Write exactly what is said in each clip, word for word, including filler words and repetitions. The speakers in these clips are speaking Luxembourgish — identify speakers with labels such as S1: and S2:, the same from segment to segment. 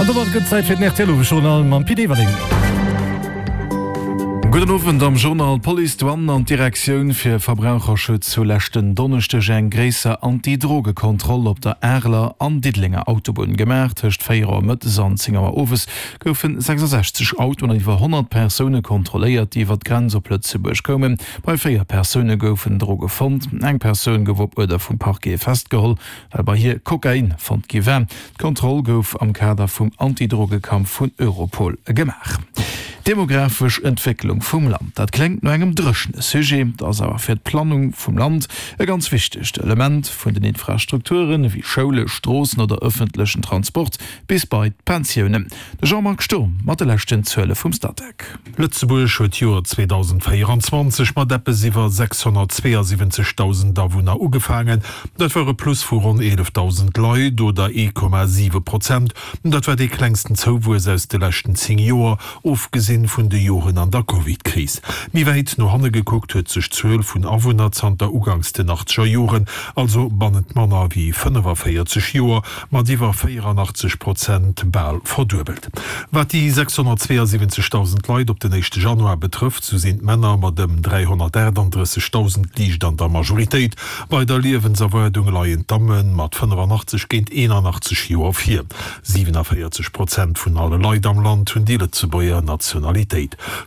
S1: An domat gëtt Zäit fir den R T L-Owesjournal mam Pit Everling.
S2: Gudden Owend am Journal. D'Police, d'Douane an d'Direktioun fir Verbraucherschutz hu leschten Donneschdeg eng gréisser Anti-Droge-Kontroll op der Areler an Diddelenger Autobunn gemaach. Tëscht véier Auer mëttes an zéng Auer owes goufe sechsasechzeg Autoen an iwwer honnert Persoune kontrolléiert, déi iwwer d'Grenz op Lëtzebuerg koumen. Bei véier Persoune goufen Droge fonnt. Eng Persoun gouf op Uerder vum Parquet festgeholl, well bei hir Kokain fonnt gi war. D'Kontroll gouf am Kader vum Antidrogekampf vun Europol gemaach. D'demografesch Entwécklung vum Land, dat kléngt no engem dréchene Sujet, dat ass awer fir d'Planung vum Land e ganz wichtegt Element, vun den Infrastrukturen ewéi Schoule, Stroossen oder ëffentlechen Transport bis bei d'Pensiounen. De Jean-Marc Sturm mat de leschten Zuele vum Statec.
S3: Lëtzebuerg huet d'Joer zweedausendvéierenzwanzeg mat eppes iwwer sechshonnertzweeasiwwenzegdausend Awunner ugefaangen. Dat war e Plus vu ronn eelefdausend Leit oder ee Komma siwe Prozent. Dat war dee klengsten Zouwuess aus de leschten zéng Joer, ofgesinn vun de Joren an der Covid-Kris. Méi wäit no hanne gekuckt huet sech d'Zuel vun Awunner zanter uganks den achtzeger Joren, also bannent manner wéi fënnefaféierzeg Joer, mat iwwer véierannachtzeg Prozent bal verduebelt. Wat déi sechshonnertzweeasiwwenzegdausend Leit op den éischte Januar betrëfft, sou sinn d'Männer mat ëm dräihonnertaachtanddrëssegdausend liicht an der Majoritéit. Bei der Liewenserwaardung leien d'Damme mat fënnefannachtzeg géint eenannachtzeg Joer vir. Siwenavéierzeg Prozent vun alle Leit am Land hunn déi Lëtzebuerger Nationalitéit.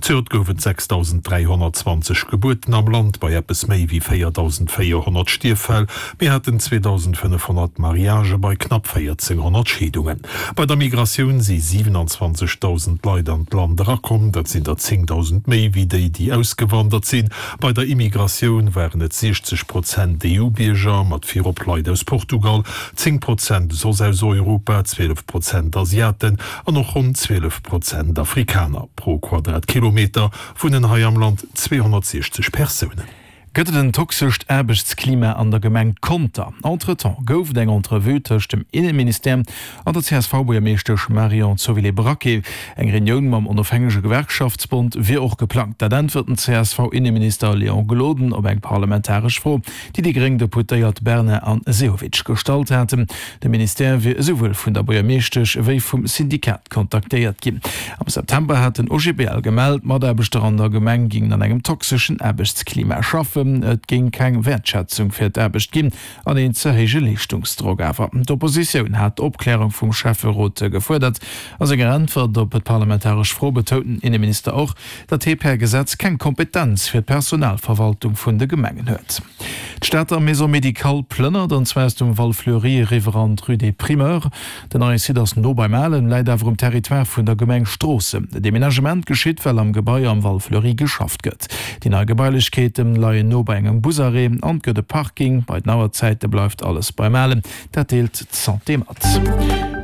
S3: Zejoert gouf et sechsdausenddräihonnertzwanzeg Gebuerten am Land, bei eppes méi wéi véierdausendvéierhonnert Stierffäll. Mir haten zweedausendfënnefhonnert Mariagë bei knapp véierzénghonnert Scheedungen. Bei der Migratioun si siwenanzwanzegdausend Leit an d'Land erakomm, dat sinn der zéngdausend méi wéi déi, déi ausgewandert sinn. Bei der Immigratioun waren et siechzeg Prozent E U-Bierger, mat virop Leit aus Portugal, zéng Prozent soss aus Europa, zwielef Prozent Asiaten an och ronn zwielef Prozent Afrikaner. Pro Quadratkilometer wunnen hei am Land zweehonnertsiechzeg Persounen.
S2: Gëtt et en toxescht Aarbechtsklima an der Gemeng Conter? Entretemps gouf et eng Entrevue tëscht dem Inneministère an der C S V-Buergermeeschtesch Marion Zovilé-Braquet. Eng Reunioun mam onofhängege Gewerkschaftsbond wier och geplangt. Dat äntwert den C S V-Inneminister Léon Gloden op eng parlamentaresch Fro, déi déi gréng Deputéiert Bernard an Sehovic gestallt haten. De Ministère wier esouwuel vun der Buergermeeschtesch wéi vum Syndikat kontaktéiert ginn. Am September hat den O G B L gemellt, d'Mataarbechter an der Gemeng gingen an engem toxeschen Aarbechtsklima schaffen. Et géing keng Wäertschätzung fir d'Aarbecht ginn an een ze héije Leeschtungsdrock. Awer d'Oppositioun hat d'Opklärung vum Schäfferot gefuerdert. A senger Äntwert op d'parlamentaresch Fro betount den Inneminister och, datt hie per Gesetz keng Kompetenz fir d'Personalverwaltung vun de Gemengen huet. D'Stater Maison médicale plënnert, an zwar aus dem Val Fleuri eriwwer an d'Rue des Primeurs. Den neie Site ass no beim Alen, läit awer um Territoire vun der Gemeng Stroossen. De Deménagement geschitt, well am Gebai am Val Fleuri geschafft gëtt. Déi nei Gebailechkeete leien no bei engem Busarrêt an et gëtt e Parking. Bei den Auerzäite bleift alles beim Alen. Dat deelt d'Santé mat.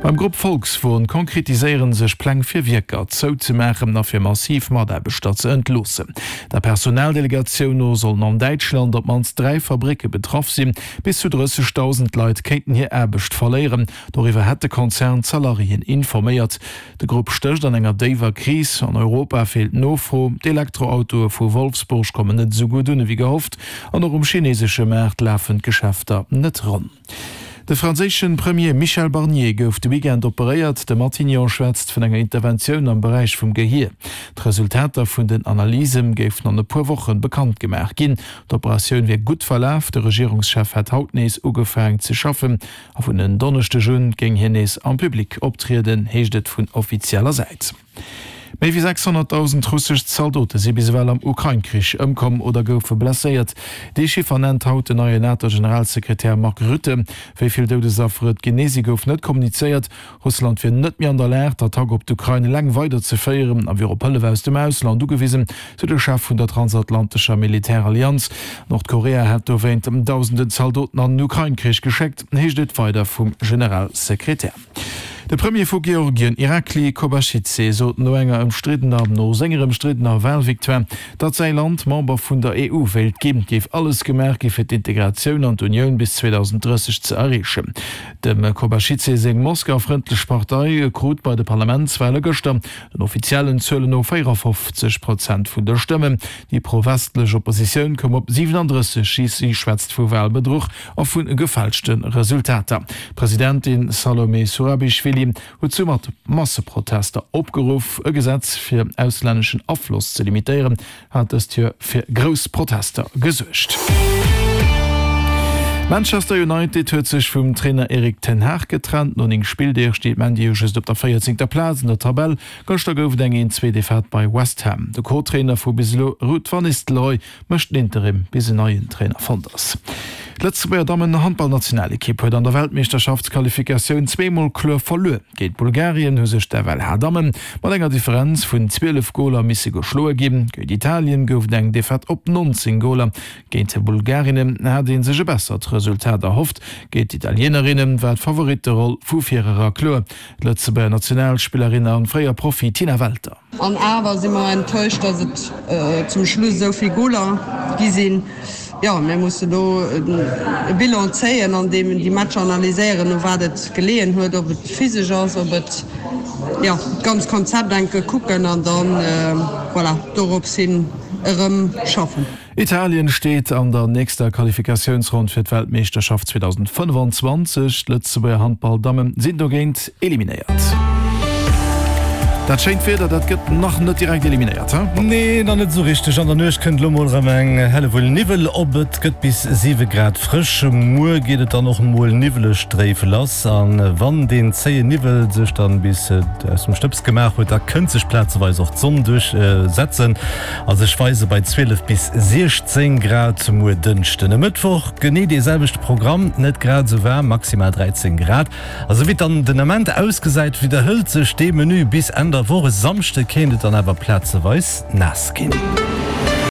S2: Beim Grupp Volkswon konkretiséiere sech Pläng fir Wierker zouzemaachen a fir massiv Mataarbechter ze entloossen. Der Personaldelegatioun no sollen an Däitschland op d'mannst dräi Fabricke betraff sinn. Bis zu drëssegdausend Leit kéinten hir Aarbecht verléieren. Doriwwer hätt de Konzern d'Salariéen informéiert. De Grupp stécht an enger déiwer Kris. An Europa feelt d'Nofro. D'Elektroautoe vu Wolfsburg kommen net esou gutt un ewéi gehofft. An och um chinesesche Maart lafen d'Geschäfter net ronn. De franséische Premier Michel Barnier gouf de Weekend operéiert. De Matignon schwätzt vun enger Interventioun am Beräich vum Gehier. D'Resultater vun den Analyse géifen an e puer Wochen bekannt gemaach ginn. D'Operatioun wier gutt verlaf. De Regierungschef hätt haut nees ugefaangen ze schaffen. A vun en Donneschdeg un géing hien nees am Public optrieden, heescht et vun offizieller Säit. Méi wéi sechshonnertdausend russesch Zaldote si bis ewell am Ukrain-Krich ëmkomm oder goufe blesséiert. Dee Chiffer nennt haut den neien NATO-Generalsekretär Mark Rutte. Wéi vill Doudesaffer et genee si gouf net kommunizéiert. Russland wier net méi an der Lag, d'Attack op d'Ukrain eleng weiderzeféieren a wier op Hëllef aus dem Ausland ugewisen, sou de Chef vun der transatlantescher Militärallianz. Nordkorea hätt dowéint dausenden Zaldoten an den Ukrain-Krich geschéckt, heescht et weider vum Generalsekretär. De Premier vu Georgien, Irakli Kobaschidse, sot no enger ëmstriddener, no senger ëmstriddener Wahlvictoire, datt säi Land Member vun der E U wéilt ginn, géif alles gemaach gi fir d'Integratioun an d'Unioun bis zweedausenddrësseg ze erreechen. Dem Kobaschidse seng Moskau-frëndlech Partei krut bei de Parlamentswale gëschter den offiziellen Zuelen no véierafofzeg Prozent vun de Stëmmen. Déi pro-westlech Oppositioun koum op siwenandrësseg. Si schwätzt vu Walbedruch a vu gefälschte Resultater. D'Presidentin Salome Surabischwili huet zu Masseprotester opgeruff. E Gesetz fir auslänneschen Afloss ze limitéieren hat dëst Joer fir grouss Protester gesuergt. Manchester United huet sech vum Trainer Erik ten Hag getrennt. No néng Spilldeeg steet ManU just op der véierzéngter Plaz an der Tabell. Gëschter gouf et eng een zwee Defaite bei West Ham. De Co-Trainer vu bis elo Ruud van Nistelrooy mécht den Interim bis en neien Trainer fonnt ass. D'Lëtzebuerger Dammen-Handballnationalekipp huet an der Weltmeeschterschaftsqualifikatioun zwee Mol kloer verluer. Géint Bulgarien hu sech d'FLH-Damme mat enger Differenz vun zwielef Goler misse geschloe ginn. Géint Italien gouf et eng Defaite op nonzéng Goler. Géint d'Bulgarinnen hat ee sech e bessert Resultat erhofft. Géint d'Italienerinne war d'Favoritteroll vu virera kloer. D'Lëtzebuerger Nationalspillerin a fréier Profi Tina Welter.
S4: An awer si mer enttäuscht, datt et zum Schluss esou vill Goler gi sinn. Jo, mir mussen elo e Bilan zéien an déi Matcher analyséieren, u wat et geleeën huet, ob et physesch ass, ob et, jo, d'ganz Konzept enke kucken an dann, voilà, dorops hin erëm schaffen.
S2: Italien steet an der nächster Qualifikatiounsronn fir d'Weltmeeschterschaft zweedausendfënnefanzwanzeg. D'Lëtzebuerger Handball-Damme sinn dogéint eliminéiert. Dat schéint Wieder, dat gëtt nach net direkt eliminéiert, he?
S1: Nee, nach net esou richteg. An der Nuecht kënnt elo mol erëm eng Hellewull Niwwel op. Et gëtt bis siwe Grad frësch. Muer geet et dann och mol niwweleg dréif lass. A wann deen zéien Niwwel sech dann bis aus dem Stëbs gemaach huet, da kënnt sech plazeweis och d'Sonn duerchsetzen a sech weise bei zwielef bis siechzéng Grad muer Dënschden. E Mëttwoch genee dee selwechte Programm, net grad esou waarm, maximal dräizéng Grad. A sou wéi et dann den Ament ausgesäit, widderhëlt sech dee Menü bis Enn der Woch. E Samschde kéint et dann awer plazeweis naass ginn.